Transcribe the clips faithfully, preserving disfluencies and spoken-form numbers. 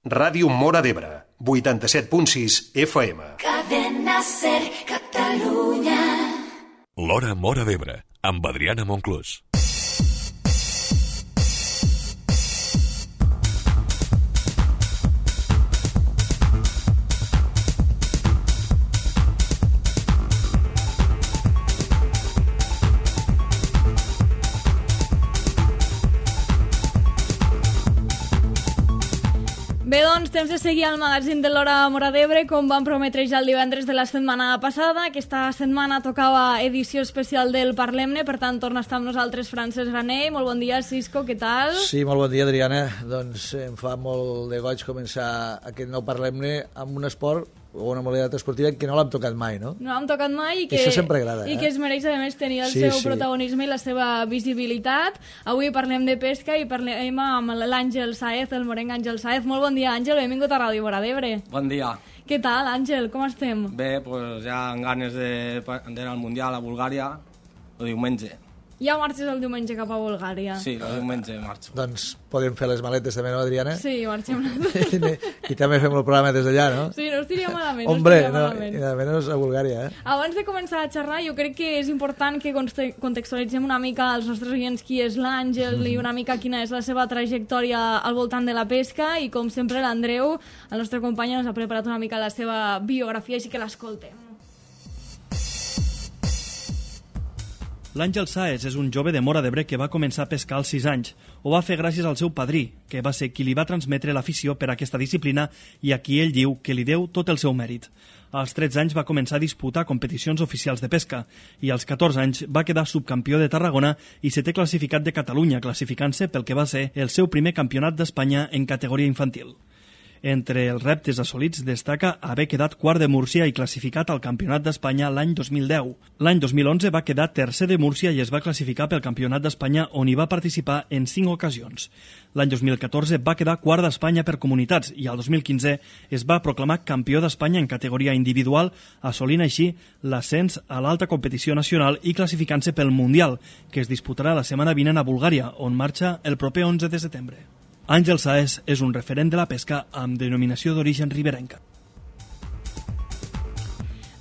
Ràdio Móra d'Ebre, vuitanta-set punt sis F M. Cadena Ser, Catalunya. L'Hora Móra d'Ebre, amb Adriana Monclús. Bé, doncs, temps de seguir al magazín de l'Hora Móra d'Ebre, com vam prometre ja el divendres de la setmana passada. Aquesta setmana tocava edició especial del Parlem-ne, per tant, torna a estar amb nosaltres Francesc Granell. Molt bon dia, Cisco, què tal? Sí, molt bon dia, Adriana. Doncs em fa molt de goig començar aquest nou Parlem-ne amb un esport o una modalitat esportiva que no l'hem tocat mai, no? No l'hem tocat mai i que, això sempre agrada, i eh? que es mereix, a més, tenir el sí, seu sí. protagonisme i la seva visibilitat. Avui parlem de pesca i parlem amb l'Àngel Sáez, el morenc Àngel Sáez. Molt bon dia, Àngel, benvingut a Ràdio Móra d'Ebre. Bon dia. Què tal, Àngel, com estem? Bé, pues ja amb ganes d'anar al Mundial a Bulgària el diumenge. Ja marxes el diumenge cap a Bulgària. Sí, el diumenge marxo. Doncs podem fer les maletes també, no, Adriana? Sí, marxem. I també fem el programa des d'allà, no? Sí, no estaria malament. Hombre, no, no, malament. i almenys a Bulgària, eh? Abans de començar a xerrar, jo crec que és important que contextualitzem una mica als nostres oients qui és l'Àngel mm. i una mica quina és la seva trajectòria al voltant de la pesca, i com sempre l'Andreu, el nostre company, ens ha preparat una mica la seva biografia, així que l'escoltem. L'Àngel Sáez és un jove de Móra d'Ebre que va començar a pescar als sis anys. Ho va fer gràcies al seu padrí, que va ser qui li va transmetre l'afició per aquesta disciplina i a qui ell diu que li deu tot el seu mèrit. Als tretze anys va començar a disputar competicions oficials de pesca i als catorze anys va quedar subcampió de Tarragona i setè classificat de Catalunya, classificant-se pel que va ser el seu primer campionat d'Espanya en categoria infantil. Entre els reptes assolits destaca haver quedat quart de Múrcia i classificat al Campionat d'Espanya l'any dos mil deu. L'any dos mil onze va quedar tercer de Múrcia i es va classificar pel Campionat d'Espanya, on hi va participar en cinc ocasions. L'any dos mil catorze va quedar quart d'Espanya per comunitats i el dos mil quinze es va proclamar campió d'Espanya en categoria individual, assolint així l'ascens a l'alta competició nacional i classificant-se pel Mundial, que es disputarà la setmana vinent a Bulgària, on marxa el proper onze de setembre. Àngel Sáez és un referent de la pesca amb denominació d'origen riberenca.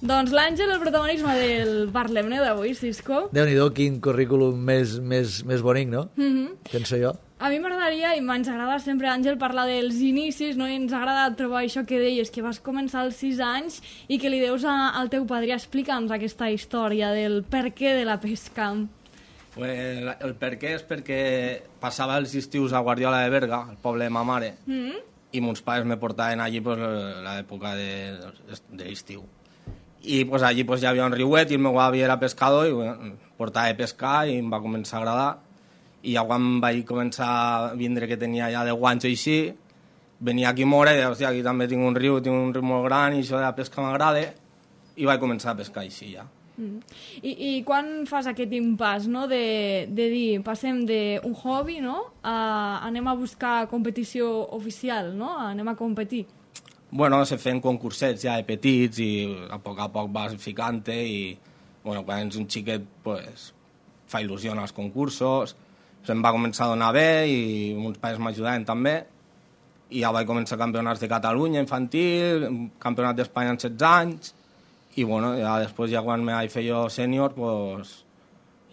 Doncs l'Àngel, el protagonisme del Parlem-ne d'avui, Cisco. Déu-n'hi-do, quin currículum més, més, més bonic, no? Mm-hmm. Penso jo. A mi m'agradaria, i ens agrada sempre, Àngel, parlar dels inicis, no? I ens agrada trobar això que deies, que vas començar als sis anys i que li deus a, al teu padrí. Explica'ns aquesta història del per què de la pesca. Pues el per què és perquè passava els estius a Guardiola de Berga, al poble de ma mare, mm-hmm. i mons pares me portaven allí pues, l'època de, de l'estiu. I pues, allí pues, hi havia un riuet i el meu avi era pescador i bueno, portava a pescar i em va començar a agradar. I ja quan vaig començar a vindre, que tenia ja deu anys o així, venia aquí a Móra i deia, hòstia, aquí també tinc un riu, tinc un riu molt gran i això de la pesca m'agrada, i vaig començar a pescar així ja. Mm. I, I quan fas aquest impàs, no? de, de dir, passem d'un hobby, no? a anem a buscar competició oficial, no? anem a competir? Bueno, se feien concursets ja de petits i a poc a poc vas ficant-te i bueno, quan ets un xiquet pues, fa il·lusió als concursos, se'm va començar a donar bé i uns pares m'ajudaven també i ja vaig començar campionats de Catalunya infantil, campionat d'Espanya en setze anys. I bueno, ja després, ja quan me vaig fer jo sènior, pues,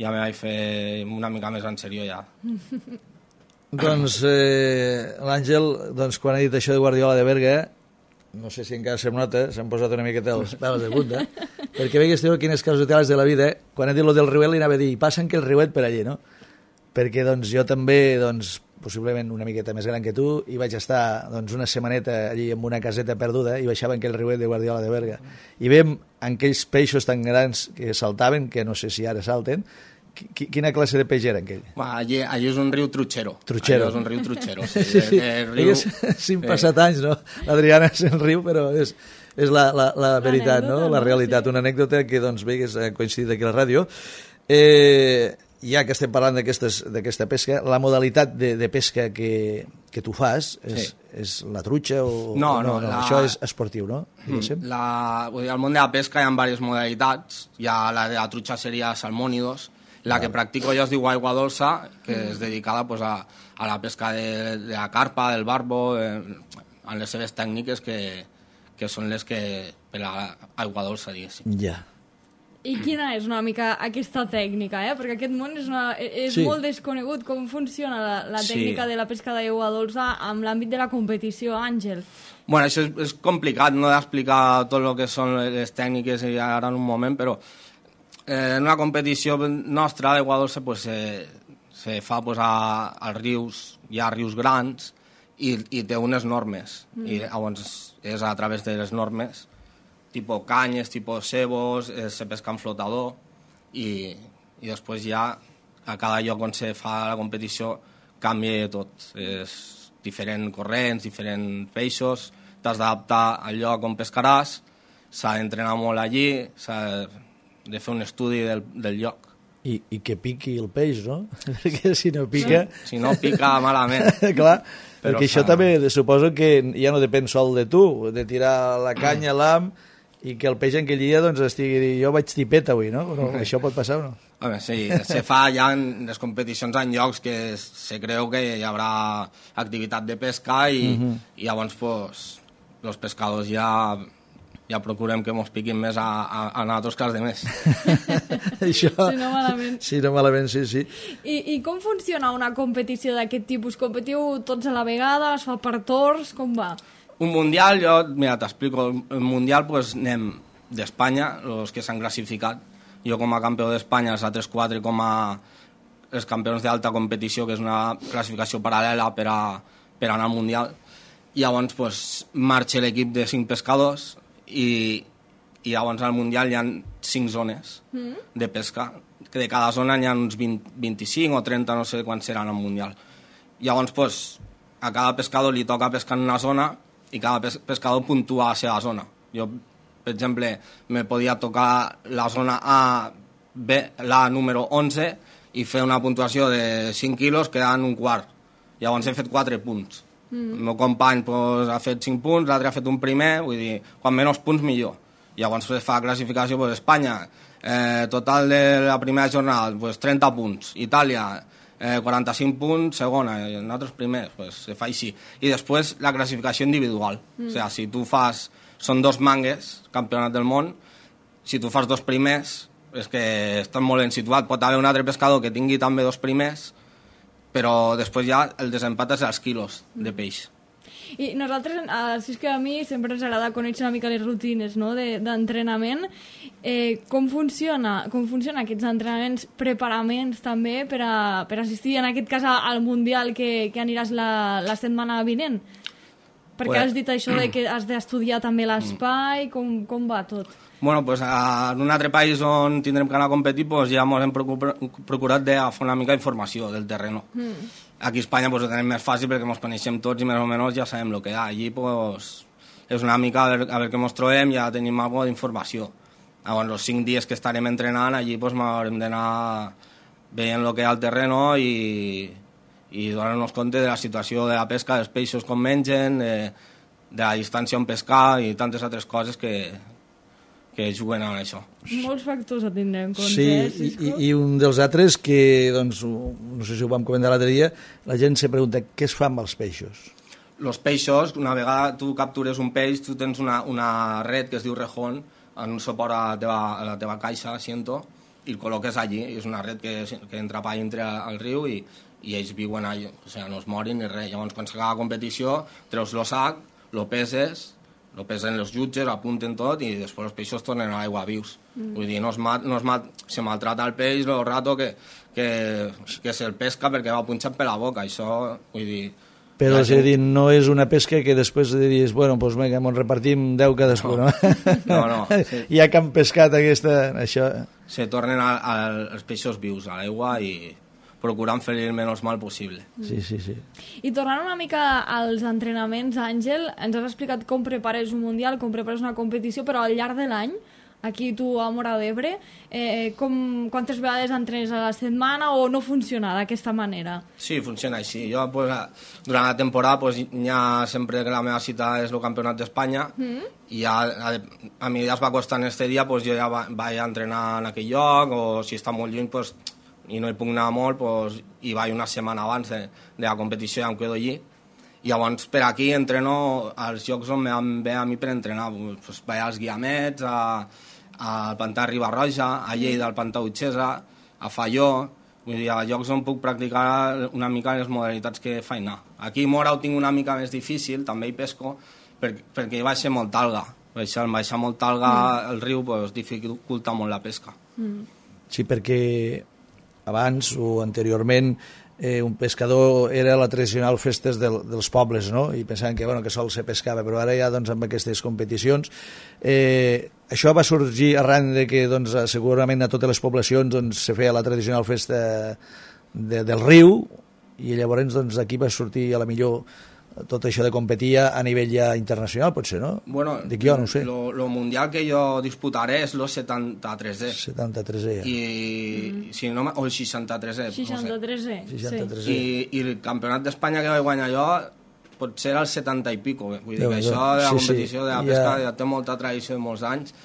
ja me vaig fer una mica més en serió ja. Doncs eh, l'Àngel, doncs, quan ha dit això de Guardiola de Berga, no sé si encara se'm nota, s'han posat una miqueta els pèls de punta, perquè veig que quines casualitats de la vida, eh? Quan he dit lo del riuet li anava a dir, passen que el riuet per allí, no? Perquè doncs, jo també, doncs, possiblement una miqueta més gran que tu, i vaig estar doncs, una setmaneta allí en una caseta perduda i baixava en aquell riuet de Guardiola de Berga. I veiem aquells peixos tan grans que saltaven, que no sé si ara salten. Quina classe de peix era aquell? Va, allí, allí és un riu trutxero. Trutxero. Allí és un riu trutxero. Sí, sí, sí. El, el riu... Sí, han passat anys, no? L'Adriana és el riu, però és, és la, la, la veritat, no? La realitat. Una anècdota que, doncs, bé, que ha coincidit aquí a la ràdio. Eh... Ja que estem parlant d'aquesta pesca, la modalitat de, de pesca que, que tu fas és, sí. és la trutxa o... No, o no, no, no la... això és esportiu, no? La... Al món de la pesca hi ha diverses modalitats. Ja la de la trutxa seria salmònidos. La que practico jo es diu aigua dolça, que és dedicada pues, a, a la pesca de, de la carpa, del barbo, de, amb les seves tècniques que, que són les que per a aigua dolça, diguéssim. Ja. I quina és una mica aquesta tècnica, eh? Perquè aquest món és, una, és Sí. molt desconegut. Com funciona la, la tècnica Sí. de la pesca d'aigua dolça amb l'àmbit de la competició, Àngel? Bueno, això és, és complicat, no d'explicar tot el que són les tècniques ara en un moment, però eh, en una competició nostra d'aigua dolça pues, se, se fa pues, a, als rius, hi ha rius grans i, i té unes normes, mm. i llavors és a través de les normes, tipus canyes, tipus cebos, eh, se pesca en flotador i, i després ja a cada lloc on se fa la competició canvia tot. És diferents corrents, diferents peixos, t'has d'adaptar al lloc on pescaràs, s'ha d'entrenar molt allí, s'ha de fer un estudi del, del lloc. I, I que piqui el peix, no? Perquè si no pica... Si no pica malament. Clar, Però perquè això s'ha- també suposo que ja no depèn sol de tu, de tirar la canya a l'am i que el peix en aquell dia doncs, estigui... Jo vaig tipet avui, no? Però això pot passar o no? Home, sí, se fa ja en les competicions en llocs que se creu que hi haurà activitat de pesca i, uh-huh. i llavors pues, els pescadors ja, ja procurem que mos piquin més a, a, a nosaltres que als demés. Això... Si no malament. Sí, no malament, sí, sí. I, I com funciona una competició d'aquest tipus? Competiu tots a la vegada? Es fa per torns? Com va? Un mundial, jo, mira, t'explico, el mundial pues, anem d'Espanya, els que s'han classificat, jo com a campió d'Espanya, els altres quatre com a els campions d'alta competició, que és una classificació paral·lela per, a, per anar al mundial. I llavors pues, marxa l'equip de cinc pescadors i, i llavors al mundial hi ha cinc zones mm. de pesca, que de cada zona hi ha uns vint, vint-i-cinc o trenta, no sé quants seran al mundial. Llavors pues, a cada pescador li toca pescar en una zona i cada pes pescador puntua a la seva zona. Jo, per exemple, me podia tocar la zona A, B, la número onze, i fer una puntuació de cinc quilos quedant un quart. Llavors he fet quatre punts. Mm. El meu company pues, ha fet cinc punts, l'altre ha fet un primer, vull dir, quan menys punts millor. Llavors es fa classificació, pues, Espanya, eh, total de la primera jornada, pues, trenta punts. Itàlia, eh, quaranta-cinc punts, segona, i nosaltres primers, pues, se fa així. I després la classificació individual. Mm. O sigui, si tu fas, són dos mangues, campionat del món, si tu fas dos primers, és que estàs molt ben situat. Pot haver un altre pescador que tingui també dos primers, però després ja el desempat és als quilos de peix. I nosaltres, eh, si és que a mi sempre ens agrada conèixer una mica les rutines, no?, de- d'entrenament. Eh, com funciona, com funcionen aquests entrenaments, preparaments també per, a, per assistir, en aquest cas, a- al Mundial que, que aniràs la, la setmana vinent? Perquè Pues- has dit això de que has d'estudiar també l'espai, com, com va tot? Bueno, pues, a, en un altre país on tindrem que anar a competir pues, ja ens hem procurat, procurat de fer una mica d'informació del terreno. Mm. Aquí a Espanya pues, ho tenim més fàcil perquè ens coneixem tots i més o menys ja sabem el que hi ha. Allí pues, és una mica a veure, a veure què ens trobem, ja tenim alguna d'informació. Llavors, els cinc dies que estarem entrenant, allí pues, haurem d'anar veient el que hi ha al terreno i, i donar-nos compte de la situació de la pesca, dels peixos com mengen, de, de la distància on pescar i tantes altres coses que, que juguen a això. Molts factors a tindre en compte, Sí, eh, i, Cisco? i un dels altres que, doncs, ho- no sé si ho vam comentar l'altre dia, la gent se pregunta què es fa amb els peixos. Los peixos, una vegada tu captures un peix, tu tens una, una red que es diu rejón, en un suport a la teva, a la teva caixa, asiento, i el col·loques allí. És una red que, que entra pa dintre al riu i, i ells viuen allà, o sigui, no es morin ni res. Llavors, quan s'acaba la competició, treus el sac, lo peses, lo pesen els jutges, apunten tot i després els peixos tornen a l'aigua vius. Mm. Vull dir, no es mat, no es mat, se maltrata el peix el rato que, que, que se'l pesca perquè va punxat per la boca. Això, vull dir... Però, la és a gent- dir, no és una pesca que després dius, bueno, doncs vinga, ens repartim deu cadascú, no? No, no, sí. Ja que han pescat aquesta... Això... Se tornen a, a, els peixos vius a l'aigua i procurant fer-li el menys mal possible. Sí, sí, sí. I tornant una mica als entrenaments, Àngel, ens has explicat com prepares un Mundial, com prepares una competició, però al llarg de l'any, aquí tu a Móra d'Ebre, eh, com, quantes vegades entrenes a la setmana o no funciona d'aquesta manera? Sí, funciona així. Jo, pues, a- durant la temporada, pues, hi ha sempre que la meva cita és el Campionat d'Espanya mm. i ja, a, a mi ja es va costar en este dia, pues, jo ja va, vaig a entrenar en aquell lloc, o si està molt lluny pues, i no hi puc anar molt, pues, hi vaig una setmana abans de, de la competició i ja em quedo allí. I llavors per aquí entreno als llocs on em ve a mi per entrenar. Pues vaig als Guiamets, a, al Pantà Riba-roja, a Lleida al Pantà Utxesa, a Falló, vull dir, a llocs on puc practicar una mica les modalitats que faig anar. Aquí a Mora ho tinc una mica més difícil, també hi pesco, per, perquè hi baixa molta alga. Baixar, baixar molta alga mm. al riu pues, dificulta molt la pesca. Mm. Sí, perquè abans o anteriorment eh, un pescador era la tradicional festes del, dels pobles, no? I pensaven que, bueno, que sol se pescava, però ara ja doncs, amb aquestes competicions eh, això va sorgir arran de que doncs, segurament a totes les poblacions doncs, se feia la tradicional festa de, del riu i llavors doncs, aquí va sortir a la millor tot això de competir a nivell ja internacional, potser, no? Bueno, dic jo, no ho sé. Lo, lo mundial que jo disputaré és lo setanta-tresè. setanta-tresè, ja. I, mm. si no, o el seixanta-tresè. seixanta-tresè, no sé. seixanta-tresè. I, I el campionat d'Espanya que vaig guanyar jo potser era el setanta i pico. Vull dir Déu, que això de la sí, competició sí. de la pesca ja... ja té molta tradició de molts anys.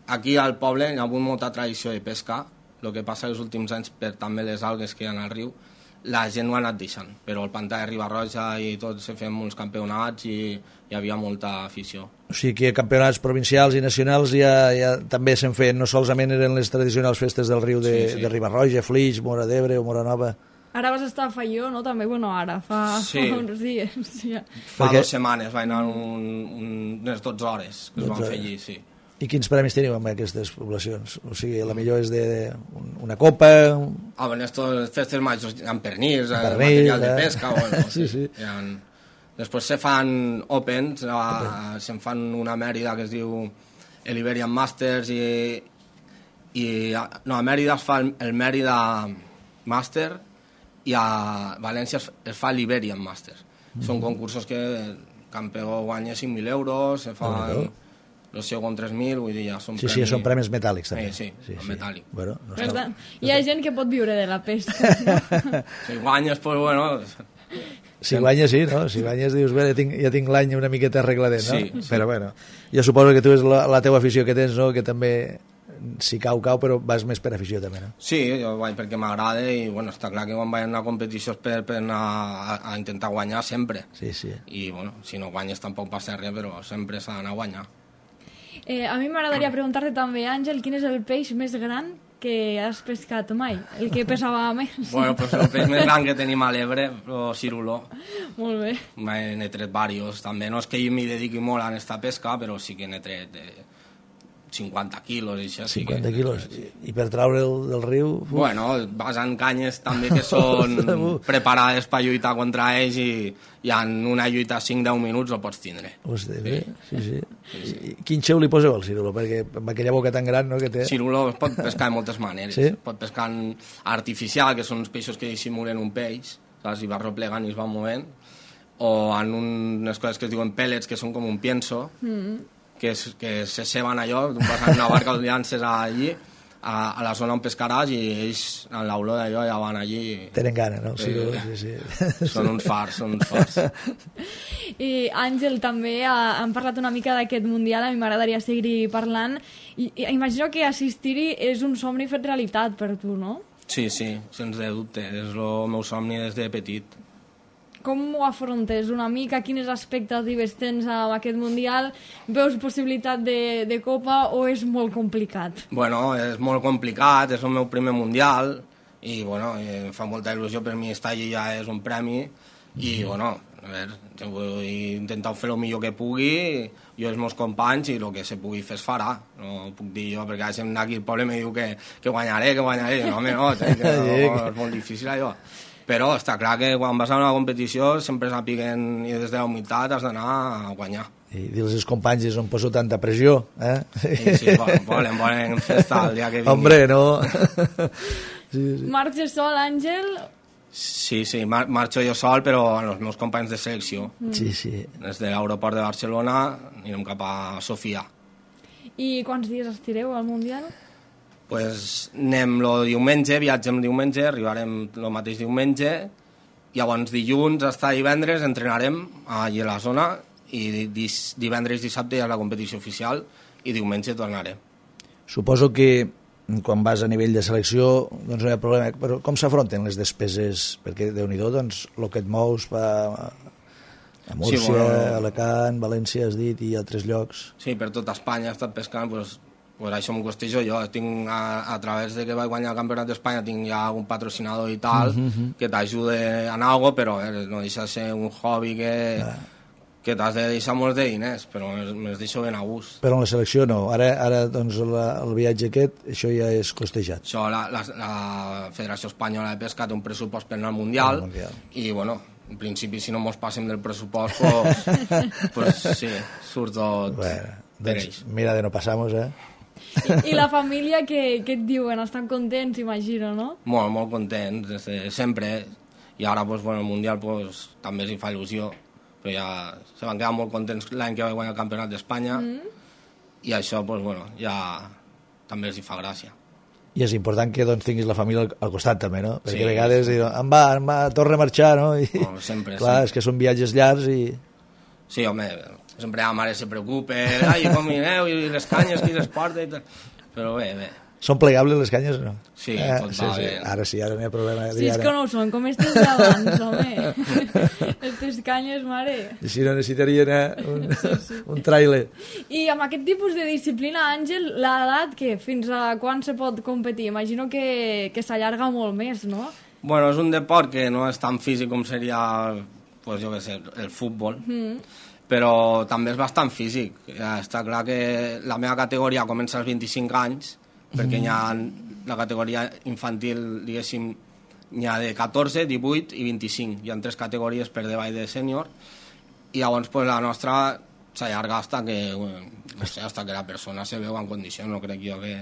Aquí al poble hi ha hagut molta tradició de pesca. El que passa els últims anys, per també les algues que hi ha al riu, la gent ho ha anat deixant, però el Pantà de Riba-roja i tot se feien molts campionats i hi havia molta afició. O sigui que campionats provincials i nacionals ja, ja també se'n feien, no solament eren les tradicionals festes del riu de, sí, sí. de Riba-roja, Flix, Mora d'Ebre o Mora Nova. Ara vas estar a Falló, no? També, bueno, ara, fa, sí. fa uns dies. Sí. Fa Perquè... dues setmanes vaig anar un, un, unes dotze hores que es van fer allí, sí. I quins premis teniu amb aquestes poblacions? O sigui, la millor és de una copa... Ah, bueno, estos festes majors amb pernirs, pernil, material eh? de pesca... Bueno, sí, sí. Ha... Després se fan opens, a... se'n fan una Mèrida que es diu el Iberian Masters i... i no, a Mèrida es fa el, el Mèrida Master i a València es, es fa l'Iberian Master. Mm-hmm. Són concursos que el campió guanya cinc mil euros, se fan... Oh, el segon tres mil, vull dir, ja són sí, premis... Sí, són premis metàl·lics, també. Sí, sí, sí, sí. metàl·lic. Bueno, no per tant, hi ha gent que pot viure de la pesca. No? Si guanyes, pues bueno... Si guanyes, sí, no? Si guanyes, dius, bé, ja tinc, ja tinc l'any una miqueta arregladet, no? Sí, sí. Però bueno, jo suposo que tu és la, la teva afició que tens, no? Que també, si cau, cau, però vas més per afició també, no? Sí, jo vaig perquè m'agrada i, bueno, està clar que quan vaig a una competició és per, per anar a, a intentar guanyar sempre. Sí, sí. I, bueno, si no guanyes tampoc passa res, però sempre s'ha d'anar a guanyar. Eh, a mi m'agradaria preguntar-te també, Àngel, quin és el peix més gran que has pescat mai? El que pesava més? Bueno, pues el peix més gran que tenim a l'Ebre, el ciruló. Molt bé. N'he tret diversos, també. No és que jo m'hi dediqui molt a aquesta pesca, però sí que n'he tret de cinquanta quilos i això. cinquanta sí que... quilos. I per traure'l del riu... Uf. Bueno, vas en canyes també que són preparades per lluitar contra ells i, i en una lluita cinc a deu minuts ho pots tindre. Hosti, bé, sí, sí. sí, sí. Quin xeu li poseu al cirulo? Perquè amb aquella boca tan gran, no?, que té... Cirulo es pot pescar de moltes maneres. Sí? Pot pescar en artificial, que són uns peixos que dissimulen un peix, saps? I va replegant i es va movent, o en unes coses que es diuen pellets, que són com un pienso, mm. que, es, que se ceben allò, tu vas en una barca, els llances allí, a, a la zona on pescaràs, i ells, en l'olor d'allò, ja van allí... Tenen gana, no? Sí, eh, sí, sí. Són uns fars, són uns fars. I Àngel, també ha, han parlat una mica d'aquest Mundial, a mi m'agradaria seguir parlant, i, i imagino que assistir-hi és un somni fet realitat per tu, no? Sí, sí, sens de dubte, és el meu somni des de petit. Com ho afrontes una mica? Quines expectatives tens amb aquest Mundial? Veus possibilitat de, de Copa o és molt complicat? Bueno, és molt complicat, és el meu primer Mundial i bueno, em fa molta il·lusió, per mi estar allí ja és un premi i bueno, a veure, jo vull intentar fer el millor que pugui, jo i els meus companys, i el que se pugui fer es farà, no puc dir jo, perquè si em aquí al poble me diu que, que guanyaré, que guanyaré, no, home, no, que no, és molt difícil allò. Però està clar que quan vas a una competició sempre sàpiguen i des de la humitat has d'anar a guanyar. I dir-los als companys és on poso tanta pressió, eh? Sí, sí, volen, volen festa el dia que vingui. Hombre, no? Sí, sí. Marxes sol, Àngel? Sí, sí, mar marxo jo sol, però amb els meus companys de selecció. Mm. Sí, sí. Des de l'aeroport de Barcelona anirem cap a Sofia. I quants dies estireu al Mundial? Pues anem el diumenge, viatgem diumenge, arribarem el mateix diumenge, llavors dilluns fins divendres entrenarem allà a la zona i divendres i dissabte hi ha la competició oficial i diumenge tornarem. Suposo que quan vas a nivell de selecció doncs no hi ha problema, però com s'afronten les despeses? Perquè Déu-n'hi-do, doncs, el que et mous va... A Múrcia, sí, bueno, Alacant, València, has dit, i altres llocs. Sí, per tota Espanya he estat pescant, pues, pues això m'ho costejo jo. Tinc, a, a través de que vaig guanyar el Campionat d'Espanya, tinc ja un patrocinador i tal, uh -huh. que t'ajuda en algo, però eh, no deixa de ser un hobby que, ah. que t'has de deixar molts de diners, però me'ls deixo ben a gust. Però en la selecció no. Ara, ara doncs, la, el viatge aquest, això ja és costejat. Això, la, la, la Federació Espanyola de Pesca té un pressupost per anar al Mundial, al mundial. I, bueno, en principi, si no mos passem del pressupost, pues, pues sí, surt tot bueno, per doncs, ells. mira de no passar-nos, eh? I, I la família, què, què et diuen? Estan contents, imagino, no? Molt, molt contents, des de sempre. I ara, pues, bueno, el Mundial pues, també s'hi fa il·lusió, però ja se van quedar molt contents l'any que va guanyar el Campionat d'Espanya, mm. i això, pues, bueno, ja també els hi fa gràcia. I és important que doncs, tinguis la família al, al costat també, no? Perquè sí, a vegades sí. diuen, em va, em va, torna a marxar, no? I, no sempre, clar, sempre. És que són viatges llargs i... Sí, home, sempre la mare se preocupa, ai, com mireu, i les canyes, qui les porta i tal. Però bé, bé. Són plegables les canyes o no? Sí, eh, tot sí, va sí. bé. Ara sí, ara no hi ha problema. Sí, és que no ho són, com estes d'abans, home. Estes canyes, mare. I si no necessitarien eh, un, sí, sí. un trailer. I amb aquest tipus de disciplina, Àngel, l'edat, què? Fins a quan se pot competir? Imagino que, que s'allarga molt més, no? Bueno, és un deport que no és tan físic com seria, pues, jo què sé, el futbol, mm. però també és bastant físic. Ja està clar que la meva categoria comença als vint-i-cinc anys, perquè mm. hi ha la categoria infantil, diguéssim, n'hi ha de catorze, divuit i vint-i-cinc. Hi ha tres categories per davall de sènior, i llavors pues, la nostra s'allarga hasta que, bueno, no sé, hasta que la persona se veu en condicions, no crec jo que...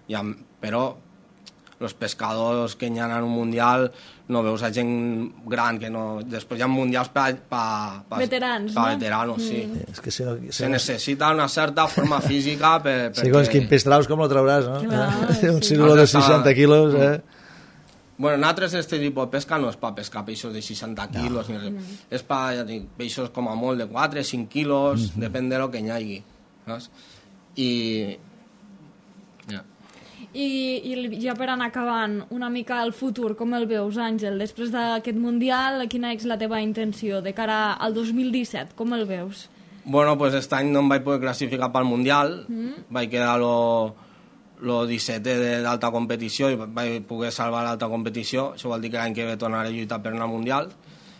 Hi ha, però els pescadors que hi ha en un mundial no veus a gent gran que no... Després hi ha mundials per... pa, pa, veterans, pa no? veteranos, mm. sí. És que si no, si se no... necessita una certa forma física per... Sí, perquè... quin pes traus com lo trauràs, no? Clar, un sí. cirulo de seixanta quilos, eh? Bueno, nosaltres este tipus de pesca no és per pescar peixos de seixanta quilos, no. ni res. Mm. És per, ja dic, peixos com a molt de quatre, cinc quilos, mm -hmm. depèn de lo que hi hagi. Saps? I... Ja. I, I ja per anar acabant, una mica el futur, com el veus, Àngel? Després d'aquest Mundial, quina és la teva intenció de cara al dos mil disset? Com el veus? Bueno, pues aquest any no em vaig poder classificar pel Mundial, mm. vaig quedar lo, lo dissetè d'alta competició i vaig poder salvar l'alta competició. Això vol dir que l'any que ve tornaré a lluitar per anar al Mundial.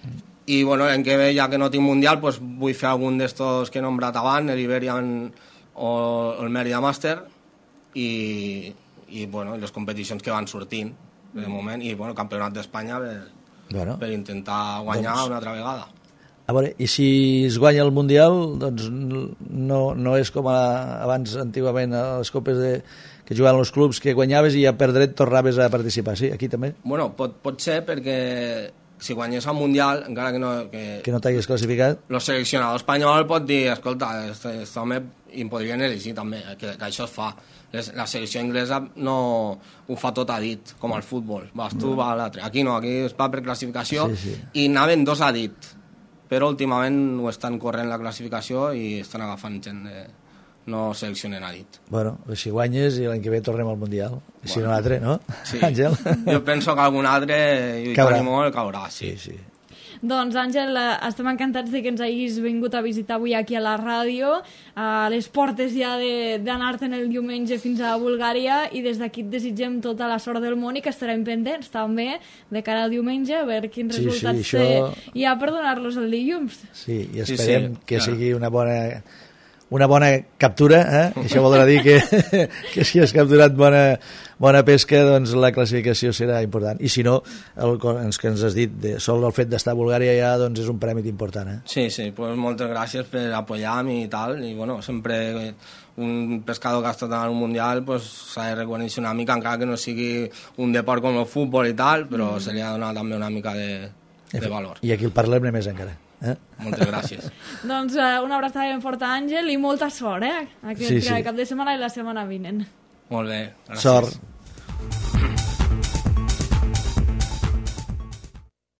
Mm. I bueno, l'any que ve, ja que no tinc Mundial, pues vull fer algun d'estos que he nombrat abans, l'Iberian o el Mérida Master, i... i bueno, les competicions que van sortint de moment, i bueno, campionat d'Espanya per, bueno, per intentar guanyar doncs, una altra vegada. A veure, i si es guanya el Mundial, doncs no, no és com a, abans antigament a les copes de, que jugaven els clubs, que guanyaves i a per dret tornaves a participar, sí? Aquí també? Bueno, pot, pot ser perquè si guanyés el Mundial, encara que no... Que, que no t'hagués classificat? El seleccionador espanyol pot dir, escolta, aquest home i podrien elegir també, que, que això es fa. La selecció inglesa no ho fa tot a dit, com al futbol. Vas tu, no. va l'altre. Aquí no, aquí es va per classificació, sí, sí. I anaven dos a dit. Però últimament ho estan corrent la classificació i estan agafant gent de... no seleccionen a dit. Bueno, si guanyes i l'any que ve tornem al Mundial. I si bueno, no l'altre, no? Sí. Àngel? Jo penso que algun altre, i caurà. Molt, caurà, sí. Sí, sí. Doncs, Àngel, estem encantats de que ens hagis vingut a visitar avui aquí a la ràdio, a les portes ja d'anar-te'n el diumenge fins a Bulgària, i des d'aquí et desitgem tota la sort del món i que estarem pendents també de cara al diumenge a veure quins sí, resultats sí, això... té hi ha per donar-los el dilluns. Sí, i esperem sí, sí, que clar. sigui una bona... una bona captura, eh? Això voldrà dir que, que si has capturat bona, bona pesca, doncs la classificació serà important. I si no, el que ens has dit, de, sol el fet d'estar a Bulgària ja doncs és un prèmit important. Eh? Sí, sí, pues moltes gràcies per apoyar-me i tal, i bueno, sempre un pescador que ha estat en un mundial pues, s'ha de reconèixer una mica, encara que no sigui un deport com el futbol i tal, però mm. se li ha donat també una mica de, de valor. I aquí el parlem més encara. Eh? Moltes gràcies. Doncs uh, una abraçada ben forta, Àngel, i molta sort, eh? Aquest sí, sí. cap de setmana i la setmana vinent. Molt bé, gràcies. Sort.